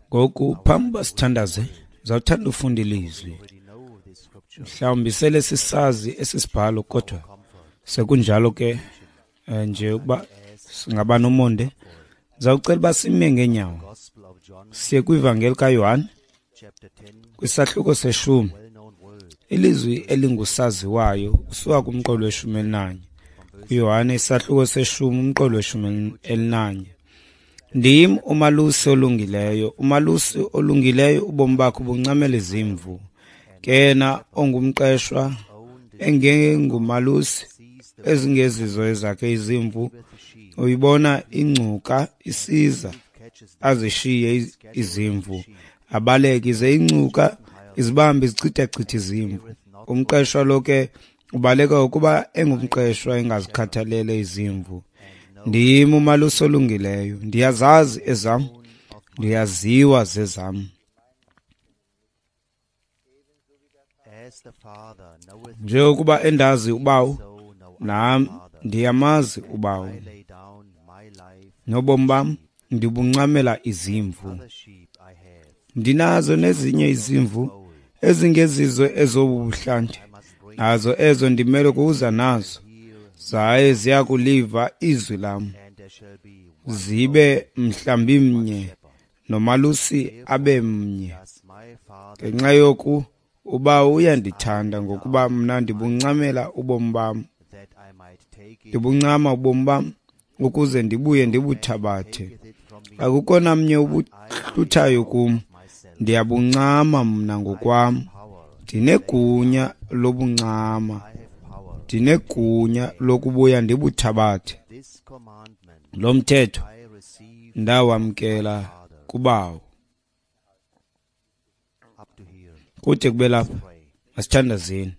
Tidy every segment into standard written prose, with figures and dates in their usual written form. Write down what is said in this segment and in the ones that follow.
Ngoku phambi uba sithandaze, ndizawuthanda ufunda ilizwi. Mhlawumbi sele sisazi esi sibhalo, kodwa sekunjalo ke nje ukuba singaba nomonde. Ndizawucela uba sime ngeenyawo siye kwivangeli kaYohane kwisahluko seshumi, ilizwi elingusaziwayo usuka kumqolo weshumi elinanye. KuYohane isahluko seshumi umqolo weshumi elinanye. Ndim umalusi olungileyo, umalusi olungileyo ubomi bakhe ubuncamela izimvu. Ke yena ongumqeshwa engengumalusi ezingezizo ezakhe izimvu, uyibona ingcuka isiza, azishiye izimvu, abaleke, ize ingcuka izibambe izichithachithe izimvu. Umqeshwa lo ke ubaleka ukuba engumqeshwa engazikhathalele izimvu. Ndim umalusi olungileyo, ndiyazazi ezam, ndiyaziwa zezam. Njengokuba endazi uBawo, nam ndiyamazi uBawo. Nobomi bam ndibuncamela izimvu. Ndinazo nezinye izimvu ezingezizo ezobu buhlanti, nazo ezo ndimele kuza nazo, zaye ziyakuliva izwi lam, zibe mhlambi mnye, nomalusi abe mnye. Ngenxa yoku uBawo uyandithanda, ngokuba mna ndibuncamela ubomi bam, ndibuncama ubomi bam ukuze ndibuye ndibuthabathe. Akukho namnye ubuhluthayo kum, ndiyabuncama mna ngokwam. Ndinegunya lobuncama, ndinegunya lokubuya ndibuthabathe. Lo mthetho ndawamkela kuBawo. Kude kube lapha, masithandazeni.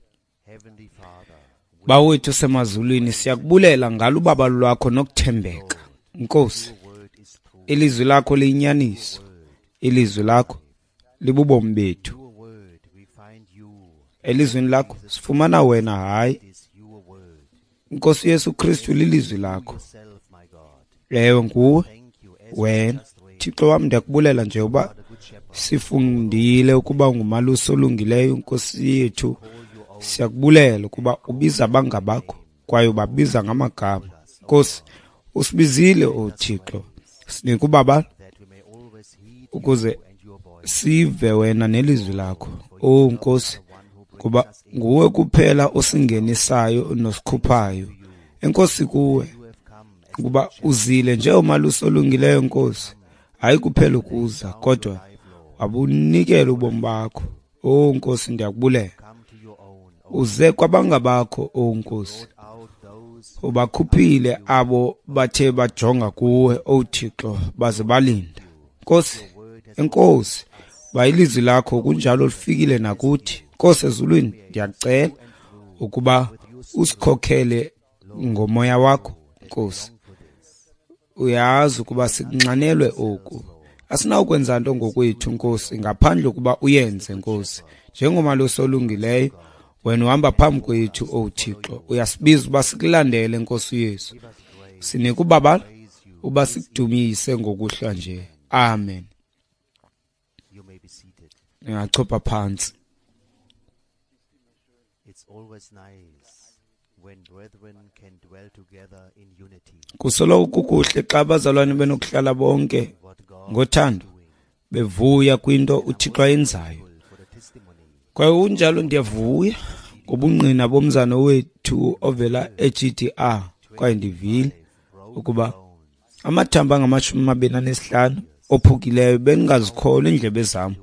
Bawo wethu osemazulwini, siyakubulela ngalo ubabalo lwakho nokuthembeka. Nkosi, ilizwi lakho liyinyaniso, ilizwi lakho libubomi bethu. Elizwini lakho sifumana wena, hayi Nkosi Yesu Kristu, lilizwi lakho. Ewe, nguwe wena Thixo wam. Ndiyakubulela nje uba sifundile ukuba ngumalusi olungileyo. Nkosi yethu, siyakubulela ukuba ubiza abangabakho kwaye ubabiza ngamagama. Nkosi, usibizile, o Thixo, sinike ubabalo ukuze sive wena nelizwi lakho. O Nkosi, kuba nguwe kuphela osingenisayo nosikhuphayo. Enkosi kuwe ukuba uzile njengomalusi olungileyo, Nkosi, hayi kuphela ukuza, kodwa wabunikela ubomi bakho. O Nkosi, ndiyakubulela. Uze kwabangabakho, o Nkosi, ubakhuphile abo bathe bajonga kuwe, o Thixo, baze balinda. Nkosi, enkosi uba ilizwi lakho kunjalo lifikile nakuthi. Nkosi ezulwini, ndiyakucela ukuba usikhokhele ngomoya wakho. Nkosi, uyazi ukuba sikunxanelwe oku. Asinawukwenza nto ngokwethu, Nkosi, ngaphandle ukuba uyenze, Nkosi. Njengomalusi olungileyo, wena uhamba phambi kwethu, o Thixo. Uyasibiza uba sikulandele, Nkosi Yesu. Sinike ubabalo uba sikudumise ngokuhlwa nje. Amen. Ndingachopha phantsi. Kusoloko kukuhle xa abazalwane benokuhlala bonke ngothando, bevuya kwinto uThixo ayenzayo. Kwaye kunjalo ndiyavuya ngobungqina bomzana wethu ovela e-GDR, kwaye ndivile ukuba amathambo angama-25 ophukileyo bendingazikholwa iindlebe zam.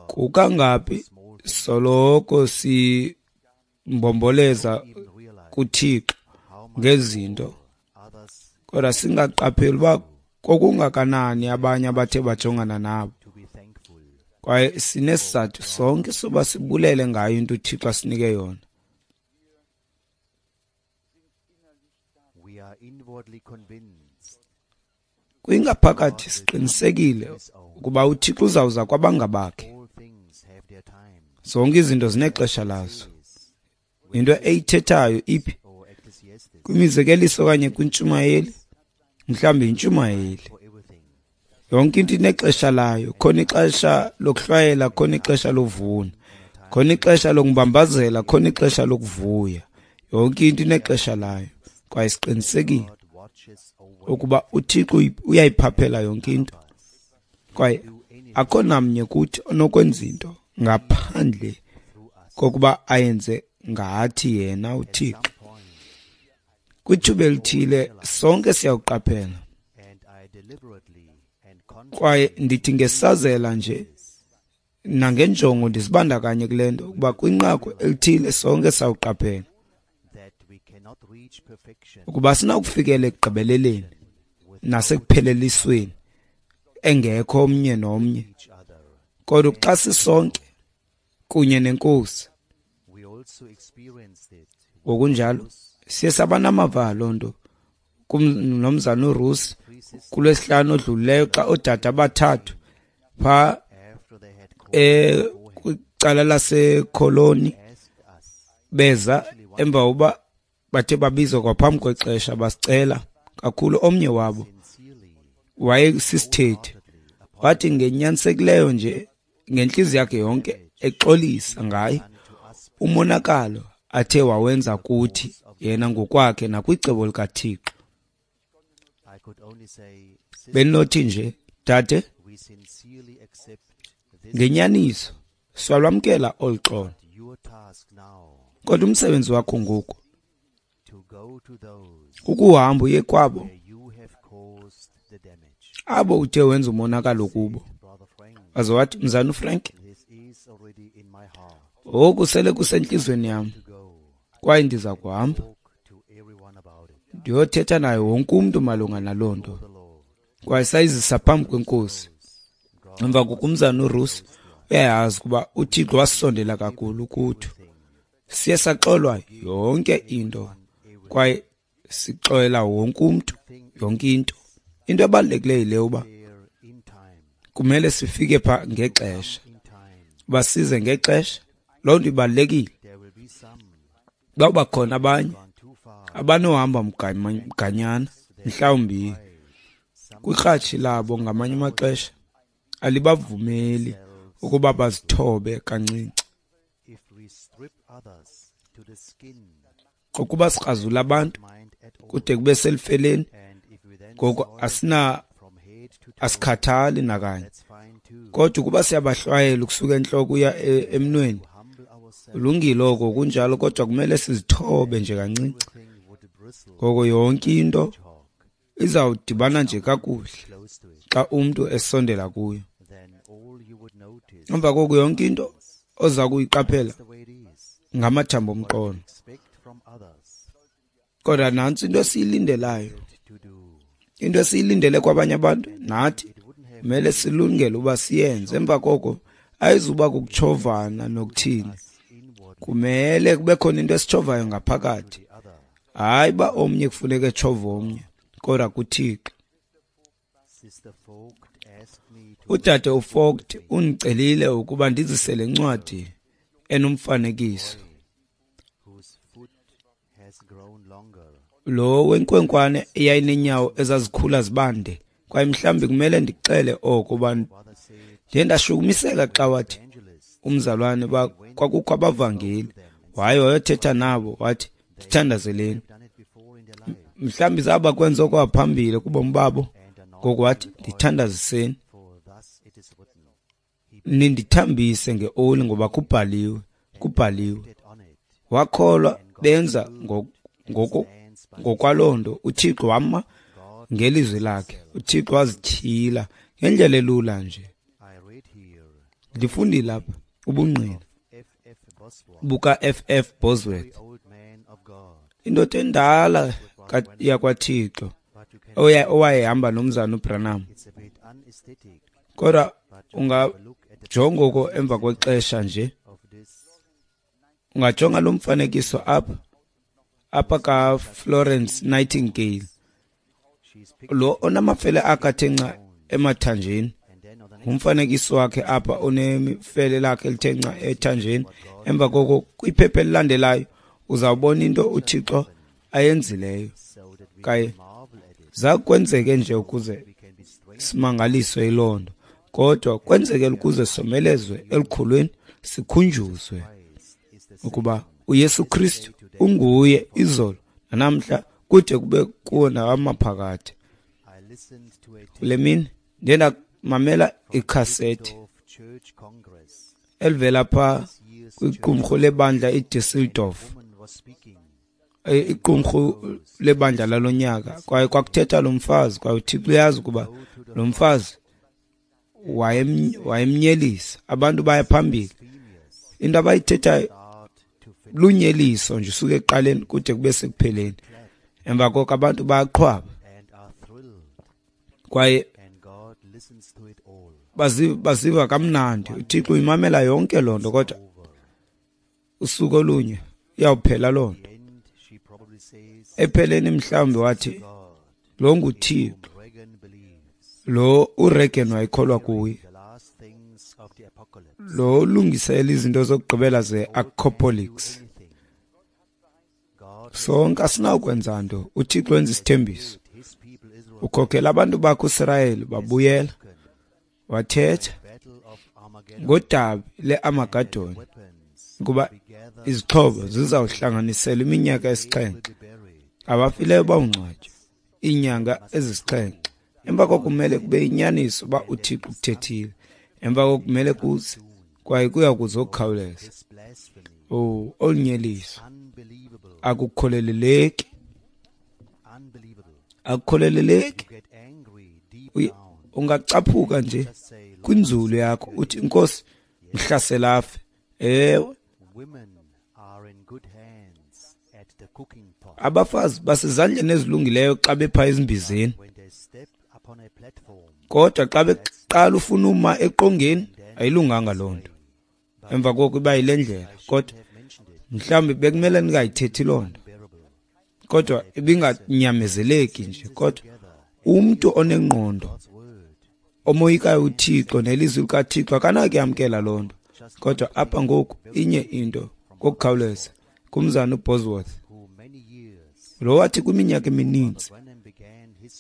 Kukangaphi soloko simbomboleza kuThixo ngezinto, kodwa singaqapheli uba kokungakanani abanye abathe bajongana nabo. Kwaye sinesizathu sonke soba sibulele ngayo into uThixo asinike yona. Kwingaphakathi siqinisekile ukuba uThixo uzawuza kwabangabakhe. Zonke izinto zinexesha lazo. Into eyithethayo iphi? Kwimizekeliso okanye kwintshumayeli? Mhlawumbi yintshumayeli. Yonke into inexesha layo. Khona ixesha lokuhlwayela, khona ixesha lovuna, khona ixesha lokumbambazela, khona ixesha lokuvuya. Yonke into inexesha layo. Kwaye siqinisekile ukuba uThixo uyayiphaphela yonke into, kwaye akho namnye kuthi onokwenza into ngaphandle kokuba ayenze ngathi yena uThixo. Kwithuba elithile sonke siyawuqaphela, kwaye ndithi ngesazela nje nangenjongo ndizibandakanye kule nto, ukuba kwinqaku elithile sonke sawuqaphela ukuba sinakufikela ekugqibeleleni nasekuphelelisweni engekho omnye nomnye, kodwa xa sisonke kunye neNkosi. Ngokunjalo siye saba namava loo nto kumnomzana uRusi kulwesihlanu odlulileyo, xa oodade abathathu phaa kwicala laseKholoni beza emva kokuba bathe babizwa kwaphambi kwexesha, basicela kakhulu. Omnye wabo wayesisithethi, wathi ngenyanisekileyo nje ngentliziyo yakhe yonke exolisa ngaye umonakalo athe wawenza kuthi yena ngokwakhe nakwicebo likaThixo. Bendinothi nje, dade, ngenyaniso siyalwamkela olu xolo, kodwa umsebenzi wakho ngoku ukuhamba uye kwabo abo uthe wenza umonakalo kubo. Waze wathi, mzana uFrank, oku sele kusentliziyweni yam, kwaye ndiza kuhamba ndiyothetha naye wonke umntu malunga naloo nto. Kwaye sayizisa phambi kweNkosi. Emva kokumzana uRusi uyayazi ukuba uThixo wasondela kakhulu kuthi. Siye saxolwa yonke into, kwaye sixolela wonke umntu yonke into. Into ebalulekileyo yile uba kumele sifike pha ngexesha, basize ngexesha. Loo nto ibalulekile. Bawuba khona abanye abanohamba mganyana, mhlawumbi kwikratshi labo ngamanye amaxesha alibavumeli ukuba bazithobe kancinci. Ukuba sikrazula abantu kude kube selifeleni, ngoko asikhathali nakanye. Kodwa ukuba siyabahlwayela ukusuka entloko uya emnweni, kulungile oko kunjalo, kodwa kumele sizithobe nje kancinci. Ngoko yonke into izawudibana nje kakuhle xa umntu esondela kuyo. Emva koko yonke into oza kuyiqaphela ngamathambo omqolo. Kodwa nantsi into esiyilindelayo, into esiyilindele kwabanye abantu, nathi kumele silungele uba siyenze. Emva koko ayizuba kukutshovana nokuthini, kumele kube khona into esitshovayo ngaphakathi. Hayi uba omnye kufuneka etshove omnye, kodwa kuThixo. Udade uFogt undicelile ukuba ndizise le ncwadi enomfanekiso lo wenkwenkwane eyayineenyawo ezazikhula zibande, kwaye mhlawumbi kumele ndixele oko uba ndiye ndashukumiseka xa wathi umzalwane uba kwakukho abavangeli, waye wayothetha nabo wathi ndithandazeleni. Mhlawumbi zaba kwenza okwaphambili kubomi babo, ngoku wathi ndithandaziseni, nindithambise ngeoli ngoba kubhaliwe, kubhaliwe. Wakholwa, benza ngokwaloo nto. uThixo wama ngelizwi lakhe. uThixo wazityhila ngendlela elula nje. Ndifundile apha ubungqina buka-F.F. Bosworth, indoda endala yakwaThixo owayehamba nomzana uBranham. Kodwa ungajonga oko emva kwexesha nje, ungajonga lo mfanekiso apha kaFlorence Nightingale, lo onamafele akhe athe nca emathanjeni. Ngumfanekiso wakhe apha onemifele lakhe elithe nca ethanjeni. Emva koko kwiphepha elilandelayo uzawubona into uThixo ayenzileyo. Kwaye zakwenzeke nje ukuze simangaliswe yiloo nto, kodwa kwenzekela ukuze somelezwe elukholweni, sikhunjuzwe ukuba uYesu Kristu unguye izolo nanamhla kude kube kuwo namaphakade. Kule mini ndiye ndamamela ikhasethi elivela phaa kwiqumrhu lebandla iDusseldorf, iqumrhu lebandla lalo nyaka, kwaye kwakuthetha lo mfazi, kwaye uThixo uyazi ukuba lo mfazi wayemnyelisa. Abantu baya phambili, into abayithethayo lunyeliso nje usuke ekuqaleni kude kube sekupheleni. Emva koko abantu bayaqhwaba kwaye baziva kamnandi. uThixo uyimamela yonke loo nto, kodwa usuku olunye iyawuphela loo nto. Epheleni mhlawumbi wathi lo nguThixo lo uReagan wayekholwa kuye, lo ulungisela izinto zokugqibela ze-apocalypse. Sonke asinawukwenza nto. uThixo wenza isithembiso, ukhokhela abantu bakhe uSirayeli babuyela. Wathetha ngodabi le-Armageddon ukuba izixhobo zizawuhlanganiselwa iminyaka esixhenxe, abafileyo bawungcwatywa iinyanga ezisixhenxe. Emva koko kumele kube inyaniso uba uThixo uthethile. Emva koko kumele kuze, kwaye kuya kuza okukhawuleza. Oh, olunyeliso akukholeleleki, akukholeleleki. Ungacaphuka nje kwinzulu yakho uthi, Nkosi, mhlasela afe. Ewe, abafazi basezandleni ezilungileyo xa bepha ezimbizeni, kodwa xa beqala ufuna uma eqongeni ayilunganga loo nto. Emva koko iba yile ndlela, kodwa mhlawumbi bekumele ningayithethi loo nto, kodwa ibinganyamezeleki nje. Kodwa umntu onengqondo omoyikayo uThixo nelizwi likaThixo akanakuyamkela loo nto. Kodwa apha ngoku inye into ngokukhawuleza kumzana uBosworth, lo wathi kwiminyaka emininzi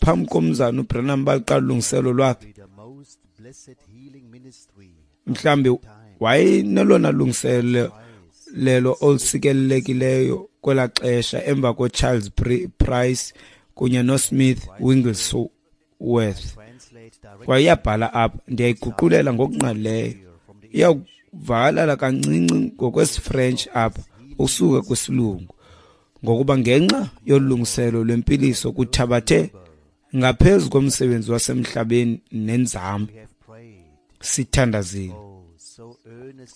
phambi komzana uBranham baqala ulungiselo lwakhe, mhlawumbi wayenelona lungiselelo lelo olusikelelekileyo kwelaa xesha emva koCharles Price kunye noSmith Wigglesworth. Kwaye iyabhala apha, ndiyayiguqulela ngokungqalileyo, iyawuvakalala kancinci ngokwesiFrench apha usuka kwisilungu, ngokuba ngenxa yolungiselo lwempiliso kuthabathe ngaphezu komsebenzi wasemhlabeni nenzame. Sithandazile,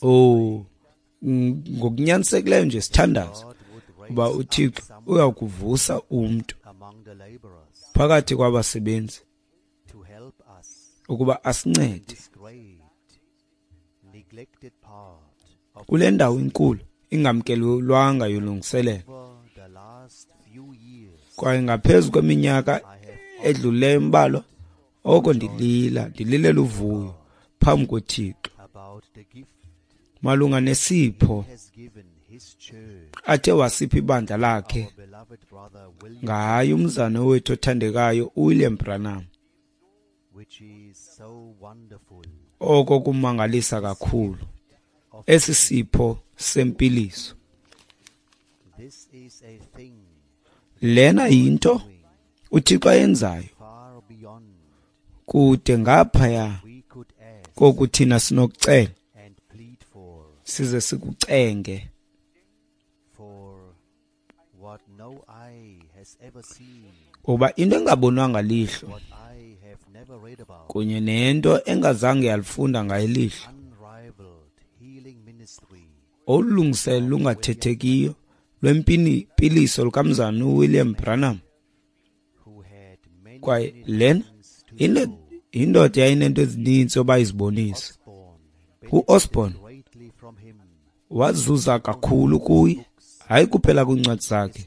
oh, ngokunyanisekileyo nje sithandaza uba uThixo uyakuvusa umntu phakathi kwabasebenzi ukuba asincede kule ndawo inkulu ingamkelwanga yolungiselelo. Kwaye ngaphezu kweminyaka edlulileyo imbalwa, oko ndilila, ndililela uvuyo phambi koThixo malunga nesipho athe wasipha ibandla lakhe ngaye umzana wethu othandekayo uWilliam Branham. Oko kumangalisa kakhulu esi sipho sempiliso. Lena yinto uThixo ayenzayo kude ngaphaya koku thina sinokucela size sikucenge, ngoba into engabonwanga lihlo kunye nento engazange yalifunda ngayo ilihlo, olulungiselo lungathethekiyo lwempiliso lukamzana uWilliam Branham. Kwaye lena indoda yayinento ezininzi oba izibonisa. UOsborn wazuza kakhulu kuye, hayi kuphela kwiincwadi zakhe,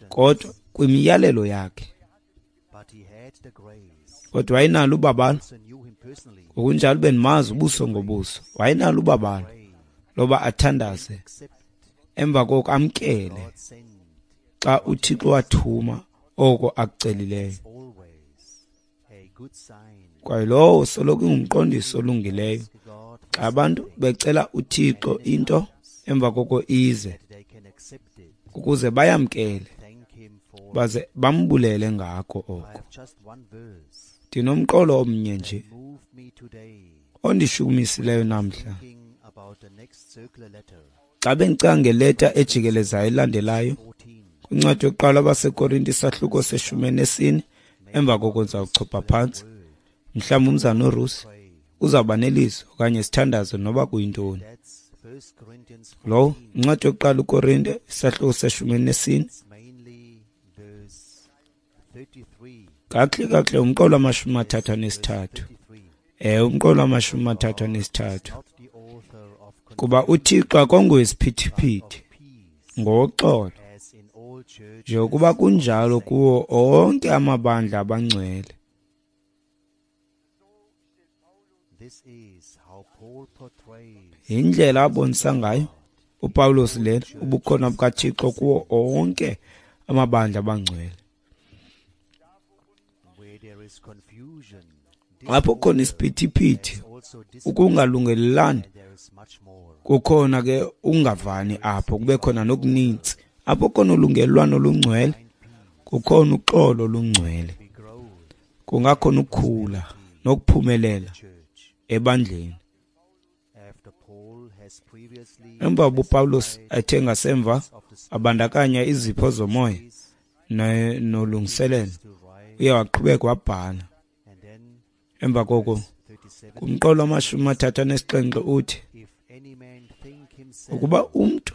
kodwa kwimiyalelo yakhe. Kodwa wayenalo ubabalo, ngokunjalo bendimazi ubuso ngobuso, wayenalo ubabalo loba athandaze, emva koko amkele xa uThixo wathuma oko akucelileyo. Kwaye lowo soloko ingumqondiso olungileyo. Xa abantu becela uThixo into, emva koko ize, ukuze bayamkele baze bambulele ngako oko. Ndinomqolo omnye nje ondishukumisileyo namhla. Xa bendicinga ngeleta ejikelezayo elandelayo, kwincwadi yokuqala abaseKorinte isahluko se-14, emva koko ndizawuchopha phantsi. Mhlawumbi umzana uRusi uzawuba nelizwi okanye sithandaze noba kuyintoni. Lowo incwadi yokuqala uKorinte isahluko se-14, kakuhle kakuhle umqolo wama-33. Umqolo wama-33. Kuba uThixo akongowesiphithiphithi, ngoxolo, njengokuba kunjalo kuwo onke amabandla abangcwele. Yindlela abonisa ngayo uPawulos lena ubukhona bukaThixo kuwo onke amabandla abangcwele. Apho khona isiphithiphithi, ukungalungelelani, kukhona ke ungavani apho, kube khona nokuninzi. Apho khona ulungelelwano olungcwele, kukhona uxolo olungcwele, kungakhona ukukhula nokuphumelela ebandleni. Emva uPawulos ethe ngasemva abandakanya izipho zomoya nolungiselelo, uye waqhubeka wabhala. Emva koko kumqolo wama-37 uthi, ukuba umntu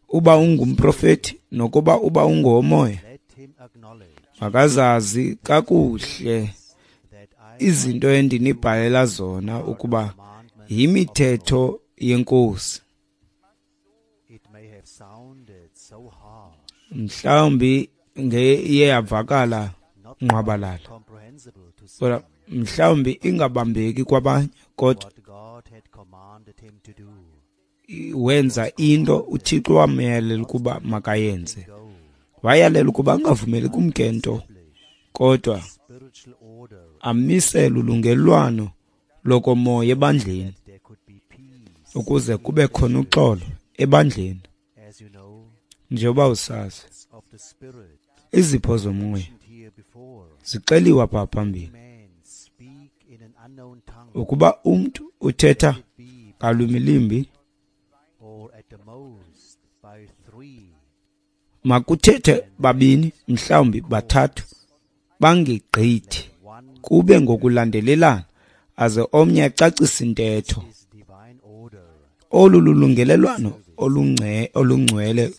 uba ungumprofeti nokuba uba ungowomoya, makazazi kakuhle izinto endinibhalela zona ukuba yimithetho yeNkosi. Mhlawumbi iye yavakala ngqwabalala, kodwa mhlawumbi ingabambeki kwabanye, kodwa wenza into uThixo wamyalela ukuba makayenze. Wayalela ukuba angavumeli kumke nto, kodwa amisele ulungelelwano lokomoya ebandleni, ukuze kube khona uxolo ebandleni. Njengoba usazi, izipho zomoya zixeliwe apha phambili. Ukuba umntu uthetha ngalwimi limbi, makuthethe babini, mhlawumbi bathathu, bangegqithi, kube ngokulandelelana, aze omnye acacise intetho. Olu lulungelelwano olungcwele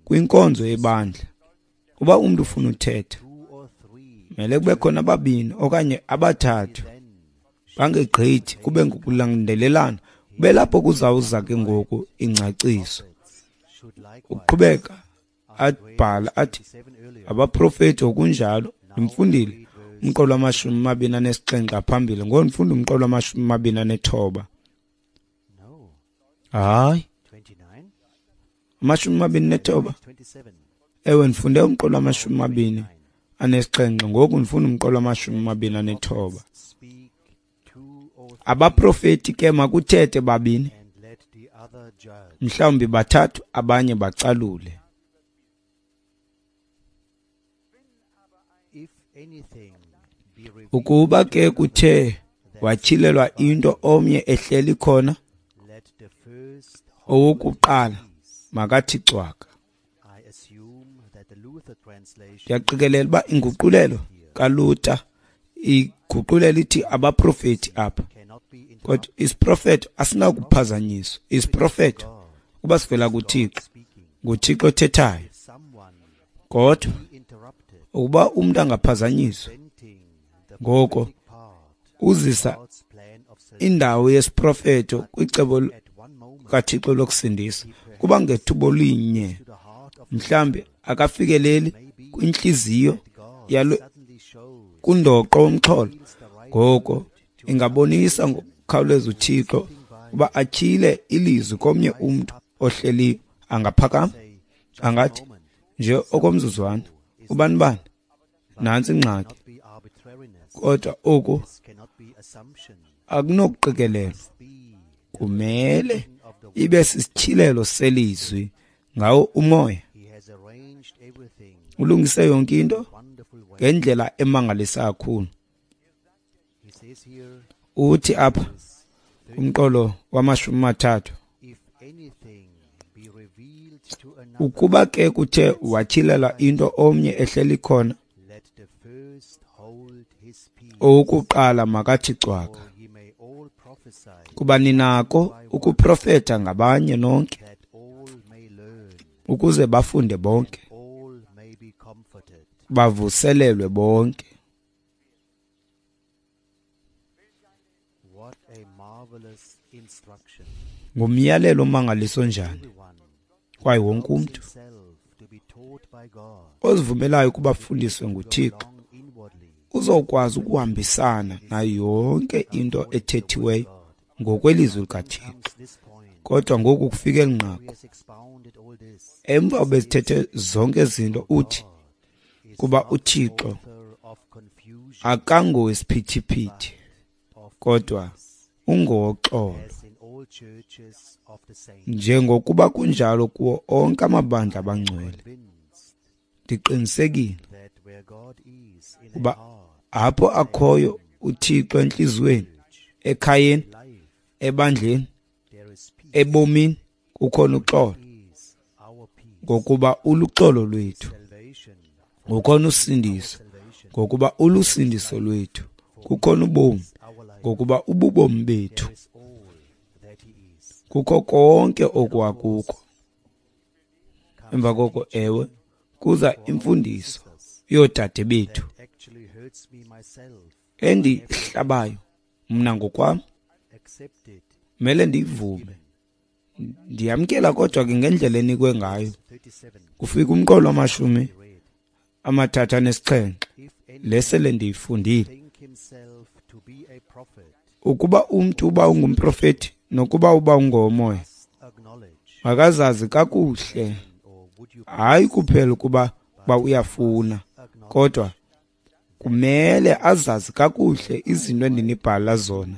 kwinkonzo yebandla. Uba umntu ufuna uthetha, mele kube khona ababini okanye abathathu, bangegqithi, kube ngokulandelelana, kube lapho kuzawuza ke ngoku ingcaciso. Uqhubeka abhala athi abaprofeti okunjalo. Ndimfundile umqolo wama-27 phambili, ngoku ndifunda umqolo wama-29. Hayi, 29. Ewe, ndifunde umqolo wama-27, ngoku ndifunda umqolo wama-29. Abaprofeti ke makuthethe babini, mhlawumbi bathathu, abanye bacalule. Ukuba ke kuthe watyhilelwa into omnye ehleli khona, owokuqala makathi cwaka. Ndiyaqikelela uba inguqulelo kaLuther iguqulela ithi abaprofeti apha, kodwa isiprofeto asinakuphazanyiswa. Isiprofeto kuba sivela kuThixo, nguThixo othethayo. Kodwa ukuba umntu angaphazanyiswa, ngoko uzisa indawo yesiprofeto kwicebo kaThixo lokusindisa. Kuba ngethuba linye mhlambi akafikeleli kwintliziyo yalo kundoqo womxholo, ngoko ingabonisa ngokukhawuleza uThixo uba atyhile ilizwi komnye umntu ohleliyo. Angaphakama angathi nje okomzuzwana, ubani bani Nantsi ingxaki, kodwa oku akunokuqikelelwa. Kumele ibe sisityhilelo selizwi ngawo umoya. Ulungise yonke into ngendlela emangalisa kakhulu. Uthi apha kumqolo wama-30, ukuba ke kuthe watyhilela into omnye ehleli khona, owokuqala makathi cwaka, kuba ninako ukuprofetha ngabanye nonke, ukuze bafunde bonke, bavuselelwe bonke. Ngumyalelo omangaliso njani, kwaye wonke umntu ozivumelayo ukuba afundiswe nguThixo uzokwazi ukuhambisana nayo yonke into ethethiweyo ngokwelizwi likaThixo. Kodwa ngoku kufike eli nqaku, emva bezithethe zonke izinto, uthi kuba uThixo akangowesiphithiphithi kodwa ungowoxolo, njengokuba kunjalo kuwo onke amabandla abangcwele. Ndiqinisekile kuba apho akhoyo uThixo entliziyweni, ekhayeni, ebandleni, ebomini, kukhona uxolo, ngokuba uluxolo lwethu. Kukhona usindiso, ngokuba ulusindiso lwethu. Kukhona ubomi, ngokuba ububomi bethu. Kukho konke okwakuko. Emva koko, ewe, kuza imfundiso yoodade bethu endihlabayo mna ngokwam, mele ndiyivume, ndiyamkela, kodwa ke ngendlela enikwe ngayo. Kufika umqolo wama-37 lesele ndiyifundile. Ukuba umntu uba ungumprofeti nokuba uba ungowomoya, makazazi kakuhle, hayi kuphela ukuba uyafuna, kodwa kumele azazi kakuhle izinto endinibhala zona.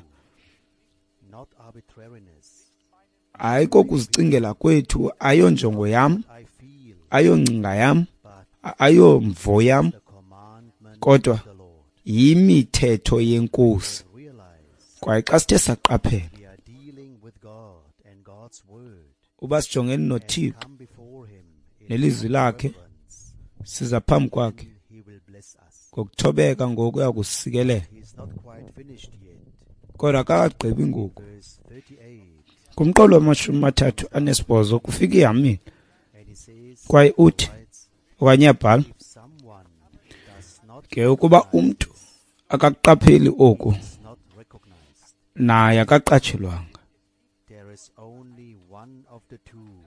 Hayi kokuzicingela kwethu, ayonjongo yam, ayongcinga yam, ayomvo yam, kodwa yimithetho yeNkosi. Kwaye xa sithe saqaphela uba sijongene noThixo nelizwi lakhe, siza phambi kwakhe ngokuthobeka, ngoku uyakusikelela. Kodwa akakagqibi ngoku. Kumqolo wama-38 kufika ihamile, kwaye uthi okanye uyabhala ke, ukuba umntu akakuqapheli oku, naye akaqatshelwanga.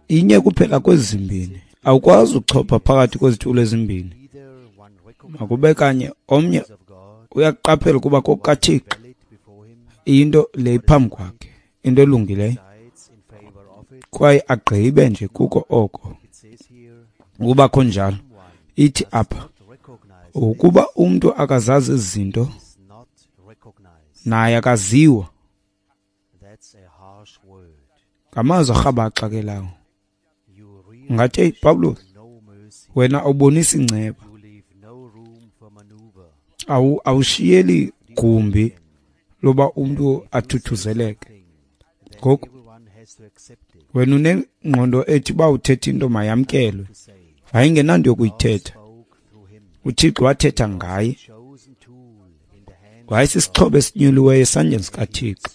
Inye kuphela kwezi zimbini, awukwazi uchopha phakathi kwezitulo ezimbini. Makube kanye omnye uyaqaphela ukuba kokukaThixo into le iphambi kwakhe, into elungileyo, kwaye agqibe nje kuko oko. Ukuba khonjalo, ithi apha, ukuba umntu akazazi izinto, naye akaziwa. Ngamazwi arhabaxa ke lawo. Ngathi, hey Pawulos, wena awubonisi inceba, awushiyeli gumbi loba umntu athuthuzeleke. Ngoku wena unengqondo ethi uba uthetha into mayamkelwe, ayingenanto yokuyithetha. uThixo wathetha ngaye, wayesisixhobo esinyuliweyo esandleni sikaThixo,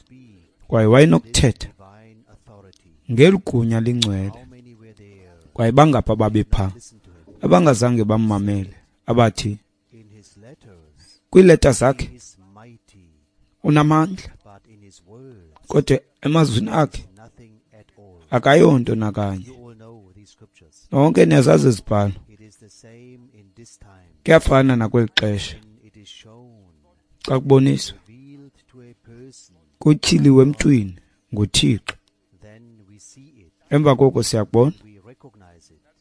kwaye wayenokuthetha ngeli gunya lingcwele. Kwaye bangapha babepha abangazange bammamele, abathi kwiileta zakhe unamandla, kodwa emazwini akhe akayonto nakanye. Nonke niyazazi izibhalo. Kuyafana nakweli xesha xa kuboniswa kutyhiliwe emntwini nguThixo. Emva koko siyakubona,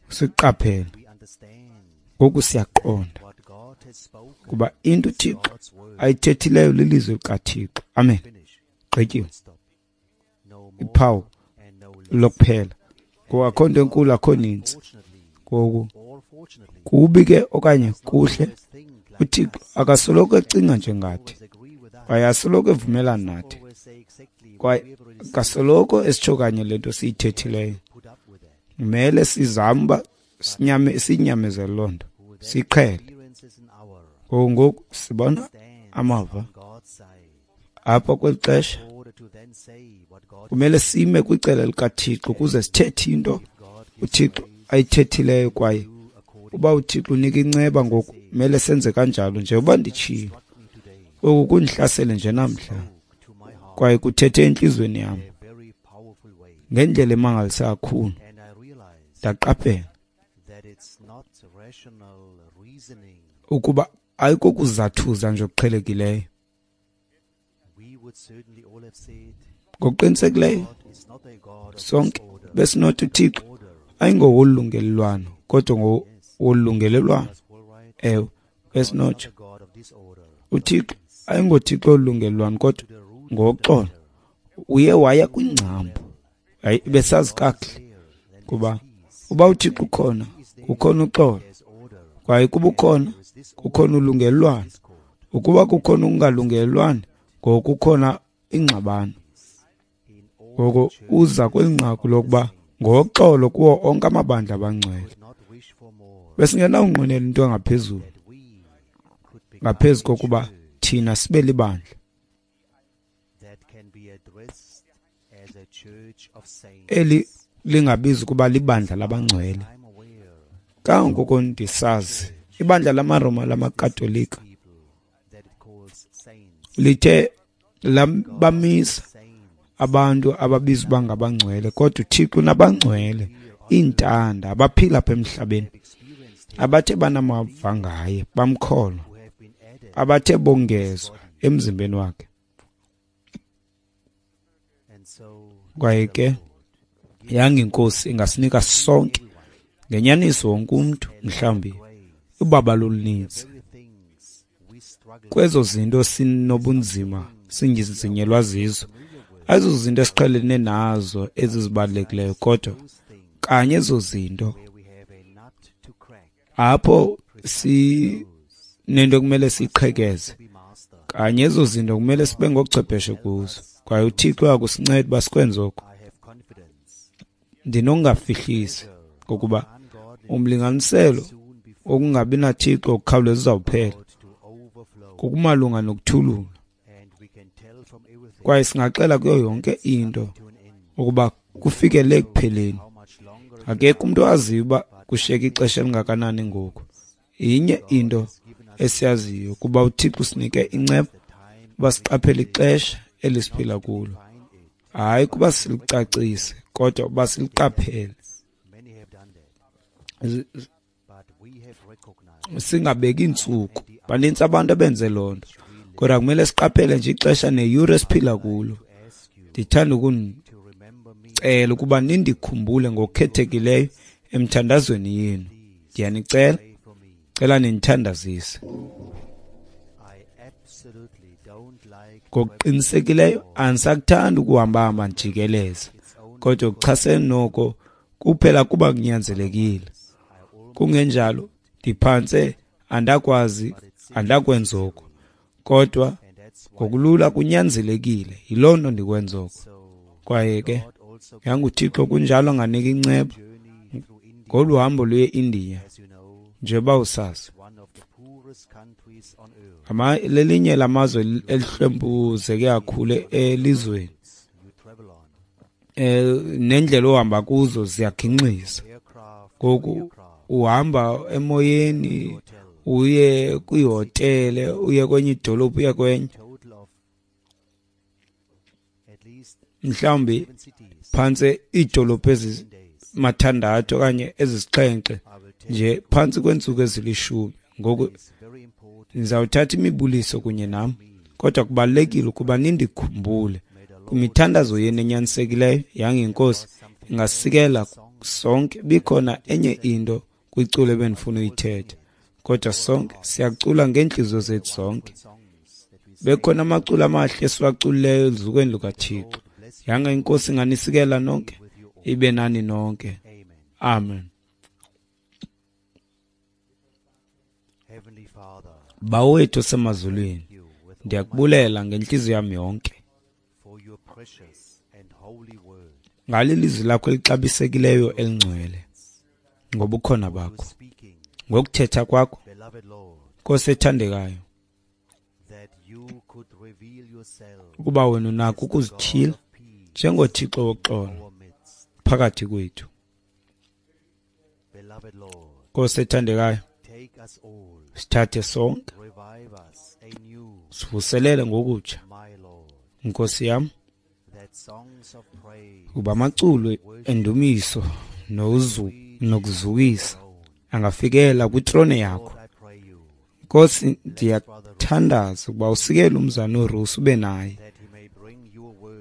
siqaphela, ngoku siyaqonda Kuba into uThixo ayithethileyo lilizwi likaThixo. Amen. Gqityiwe. Iphawu lokuphela. Ngoku akho nto enkulu, akho nintsi. Ngoku kubi ke okanye kuhle, uThixo akasoloko ecinga njengathi, kwaye asoloko evumelana nathi, kwaye akasoloko esitsho kanye le nto siyithethileyo. Kumele sizame uba siyinyamezele loo nto, siyiqhele. Ngoku ngoku sibona amava apha kweli xesha. Kumele sime kwicala likaThixo ukuze sithethe into uThixo ayithethileyo, kwaye uba uThixo unika inceba ngoku kumele senze kanjalo. Njengoba nditshilo, oku kundihlasele nje namhla kwaye kuthethe entliziyweni yam ngendlela emangalisa kakhulu. Ndaqaphela ukuba ayikokuzathuza nje okuqhelekileyo. Ngokuqinisekileyo sonke besinothi uThixo ayingowolungelelwano, kodwa ngowolungelelwano. Ewe, besinotsho uThixo ayingoThixo olungelelwano, kodwa ngoxolo. Uye waya kwingcambu. Hayi, besazi kakuhle kuba uba uThixo ukhona, kukhona uxolo, kwaye kuba ukhona, kukhona ulungelelwano. Ukuba kukhona ukungalungelelwani, ngoku kukhona ingxabano. Ngoko uza kweli nqaku lokuba ngoxolo kuwo onke amabandla abangcwele. Besingenawunqwenela into engaphezulu ngaphezu kokuba thina sibe libandla eli lingabizi ukuba libandla labangcwele. Kangangoko ndisazi, ibandla lamaRoma lamaKatolika lithe labamisa abantu ababizwa uba ngabangcwele, kodwa uThixo unabangcwele, iintanda abaphila apha emhlabeni, abathe banamava ngaye, bamkholwa, abathe bongezwa emzimbeni wakhe. Kwaye ke yanga iNkosi ingasinika sonke ngenyaniso wonke umntu mhlawumbi ubabalo oluninzi kwezo zinto sinobunzima sinzinzinyelwa zizo, ayizo zinto esiqhelene nazo ezi zibalulekileyo, kodwa kanye ezo zinto apho sinento ekumele siyiqhekeze, kanye ezo zinto kumele sibe ngochwepheshe kuzo, kwaye uThixo uyakusinceda uba sikwenze oko. Ndinokungafihlisi ngokuba umlinganiselo wokungabi naThixo ukukhawuleza uzawuphela ngokumalunga nokuthulula, kwaye singaxela kuyo yonke into ukuba kufikele ekupheleni. Akekho umntu owaziyo uba kushiyeke ixesha elingakanani ngoku. Inye into esiyaziyo kuba uThixo usinike inceba uba siqaphele ixesha elisiphila kulo, hayi kuba silicacise, kodwa uba siliqaphele, singabeki iintsuku. Banintsi abantu abenze loo nto, kodwa kumele siqaphele nje ixesha neyure esiphila kulo. Ndithanda ukunicela ukuba nindikhumbule ngokukhethekileyo emthandazweni yenu. Ndiyanicela, cela nindithandazise. Ngokuqinisekileyo andisakuthandi ukuhamba-hamba ndijikeleza, kodwa kuchasene noko kuphela kuba kunyanzelekile. Kungenjalo ndiphantse andakwazi, andakwenza oko, kodwa ngokulula kunyanzelekile. Yiloo nto ndikwenza oko. Kwaye ke yanguThixo kunjalo anganika inceba ngolu hambo luye eIndiya, njengoba usazi. Lelinye lamazwe elihlwempuzeke kakhulu elizweni. Nendlela ohamba kuzo ziyagingxisa. Ngoku uhamba emoyeni, uye kwihotele, uye kwenye idolophu, uye kwenye, mhlawumbi phantse iidolophu ezimathandathu okanye ezisixhenxe nje phantsi kweentsuku ezilishumi. Ngoku ndizawuthatha imibuliso kunye nam, kodwa kubalulekile ukuba nindikhumbule kwimithandazo yenu enyanisekileyo. Yange iNkosi ingasikela sonke. Bikhona enye into kwiculo ebendifuna uyithetha, Kodwa sonke siyacula ngeentliziyo zethu zonke. Bekhona amaculo amahle esiwaculileyo eluzukweni lukaThixo. Yanga iNkosi inganisikela nonke, ibe nani nonke. Amen. Bawo wethu osemazulwini, ndiyakubulela ngentliziyo yam yonke ngale lizwi lakho elixabisekileyo elingcwele, ngobukhona bakho, ngokuthetha kwakho, Nkosi ethandekayo, ukuba wena unakho ukuzityhila njengoThixo woxolo phakathi kwethu. Nkosi ethandekayo, sithathe sonke, sivuselele ngokutsha, Nkosi yam, kuba amaculo endumiso nokuzukisa angafikela kwitrone yakho. Nkosi, ndiyathandaza ukuba usikele umzana uRusi ube naye,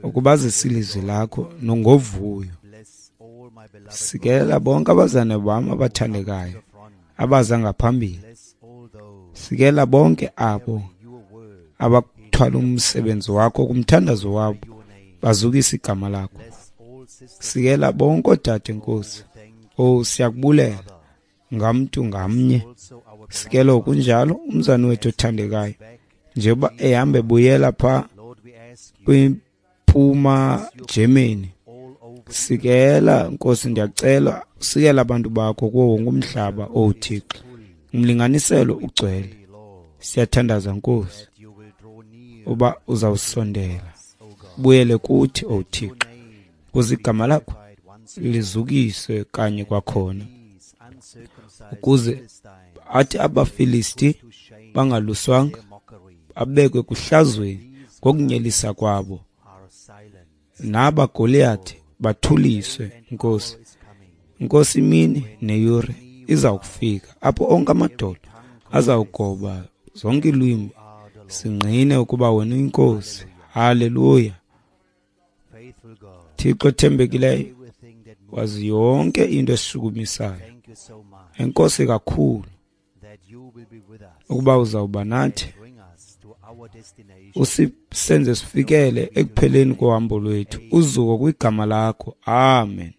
ukuba azise ilizwi lakho nongovuyo. Sikela bonke abazane bam abathandekayo abaza ngaphambili. Sikela bonke abo abathwala umsebenzi wakho kumthandazo wabo, bazukise igama lakho. Sikela bonke oodade, Nkosi. Oh, siyakubulela ngamntu ngamnye. Sikela kunjalo umzana wethu othandekayo, njengoba ehamba ebuyela phaa kwiMpuma Germany. Sikela, Nkosi, ndiyacela usikela abantu bakho kuwo wonke umhlaba, oh Thixo. Umlinganiselo ugcwele. Siyathandaza, Nkosi, uba uzawusondela ubuyele kuthi, oh Thixo, ukuze igama lakho lizukiswe kanye kwakhona, ukuze athi abaFilisti bangaluswanga abekwe kuhlazweni ngokunyelisa kwabo, naba Goliath bathuliswe. Nkosi, Nkosi, imini neyure izawukufika apho onke amadolo azawugoba, zonke iilwimi singqine ukuba wena uyinkosi. Haleluya. Thixo othembekileyo, wazi yonke into esishukumisayo. Enkosi kakhulu ukuba uzawuba nathi, usisenze sifikele ekupheleni kohambo lwethu. Uzuko kwigama lakho. Amen.